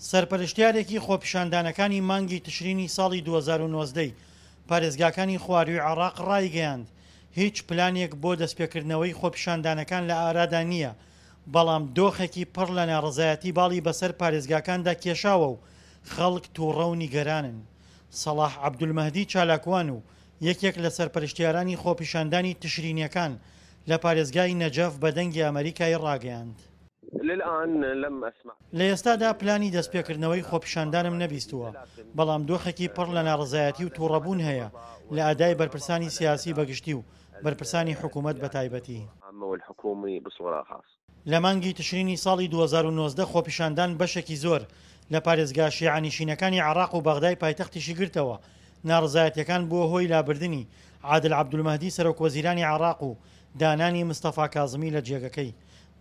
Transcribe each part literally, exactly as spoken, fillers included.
سەرپەرشتیارێکی خۆپیشاندانەکانی مانگی تشرینی ساڵی دوو هەزار و نۆزدە ی پارێزگاکانی خوارووی عێراق ڕایگەیاند، هیچ پلانێک بۆ دەستپێکردنەوەی خۆپیشاندانەکان لە ئارادا نییە، بەڵام دۆخێکی پڕ لە ناڕەزایەتی باڵی بەسەر پارێزگاکاندا کێشاوە و خەڵک توڕە و نیگەرانن. سەڵاح عەبدولمەهدی چالاکوان و یەکێک لە سەرپەرشتیارانی خۆپیشاندانی تشرینیەکان لە پارێزگای نەجەف بە دەنگی ئەمەریکای ڕاگەیاند. لە ئێستادا پلانی دەستپێکردنەوەی خۆپیشاندانم نەبیستووە، بەڵام دۆخێکی پڕ لە ناڕەزایەتی و توڕەبوون هەیە لە ئەدای بەرپرسانی سیاسی بەگشتی و بەرپرسانی حکومەت بەتایبەتی. لە مانگی تشرینی ساڵی دوو هەزار و نۆزدە خۆپیشاندان بەشێکی زۆر لە پارێزگا شیعەنشینەکانی عێراق و بەغدای پایتەختیشی گرتەوە، ناڕەزایەتیەکان بووە هۆی لابردنی عادل عەبدولمەهدی سەرۆکوەزیرانی عێراق و دانانی مستەفا کازمی لە جێگەکەی.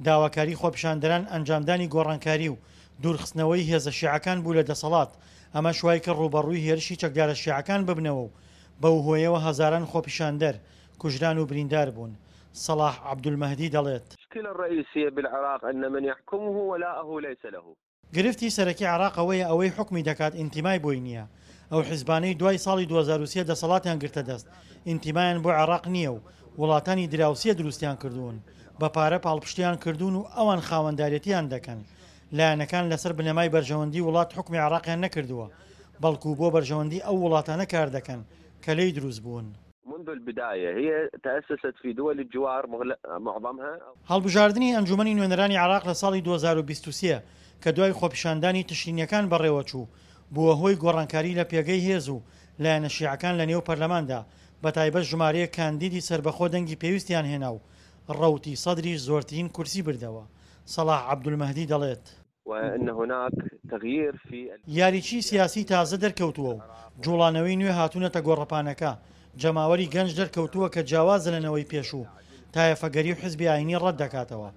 داواکاری خۆپیشاندەران ئەنجامدانی گۆڕانکاری و دوورخستنەوەی هێزە شیعەکان بوو لە دەسەڵات، ئەمەش وایکرد ڕووبەڕووی هێرشی چەکدارە شیعەکان ببنەوە و بەو هۆیەوە هەزاران خۆپیشاندەر کوژران و بریندار بوون. سەڵاح عەبدولمەهدی دەڵێت. گرفتی سەرەکی عێراق ئەوەیە ئەوەی حوکمی دەکات ئینتیمای بۆی نییە، ئەو حیزبانەی دوای ساڵی دوو هەزار و سێ دەسەڵاتیان گرتە دەست ئینتیمایان بۆ عێراق نییە و وڵاتانی دراوسێ دروستیان کردوون، بە پارە پاڵپشتیان کردوون و ئەوان خاوەندارێتیان دەکەن. لایەنەکان لەسەر بنەمای بەرژەوەندی وڵات حوکمی عێراقیان نەکردووە، بەڵکو بۆ بەرژەوەندی ئەو وڵاتانە کار دەکەن کە لێی دروست بوون. منذ البداية هي تأسست في دول الجوار معظمها. هەڵبژاردنی ئەنجومەنی نوێنەرانی عێراق لە ساڵی دوو هەزار و بیست و سێ کە دوای خۆپیشاندانی تشرینیەکان بەڕێوەچوو، بووە هۆی گۆڕانکاری لە پێگەی هێز و لایەنە شیعەکان لە نێو پەرلەماندا، بەتایبەت ژمارەیەک کاندیدی سەربەخۆ دەنگی پێویستیان هێنا و ڕەوتی سەدریش زۆرترین کورسی بردەوە. سەڵاح عەبدولمەهدی دەڵێت، وأن هناك تغيير في یاریچی سیاسی تازە دەرکەوتووە و جوڵانەوەی نوێ هاتوونەتە گۆڕەپانەکە، جەماوەری گەنج دەرکەوتووە کە جیاوازە لە نەوەی پێشوو، تایەفەگەری و حزبی ئاینی ڕەت دەکاتەوە.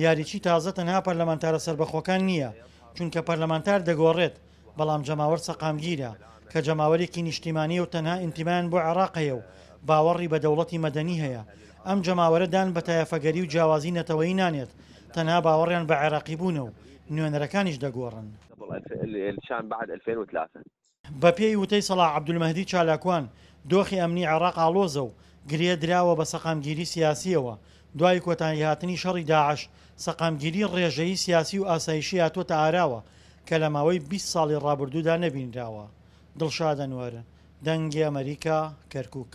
یاریچی تازە تەنها پەرلەمانتارە سەربەخۆکان نییە، چونکە پەرلەمانتار دەگۆڕێت، بەڵام جەماوەر سەقامگیرە کە جەماوەرێکی نیشتیمانیە و تەنها ئینتیمایان بۆ عێراق هەیە و باوەڕی بە دەوڵەتی مەدەنی هەیە. ئەم جەماوەرە دان بە تایەفەگەری و جیاوازی نەتەوەیی نانێت، تەنها باوەڕیان بە عێراقی بوونە و نوێنەرەکانیش دەگۆڕن. بەپێی وتەی سەڵاح عەبدولمەهدی چالاکوان، دۆخی ئەمنی عێراق ئاڵۆزە و گرێ دراوە بە سەقامگیری سیاسیەوە. دوای کۆتاییهاتنی شەڕی داعش، سەقامگیری ڕێژەیی سیاسی و ئاسایشی هاتووەتە ئاراوە کە لە ماوەی بیست ساڵی ڕابردوودا نەبینراوە. دڵشاد ئەنوەر، دەنگی ئەمەریکا، کەرکوک.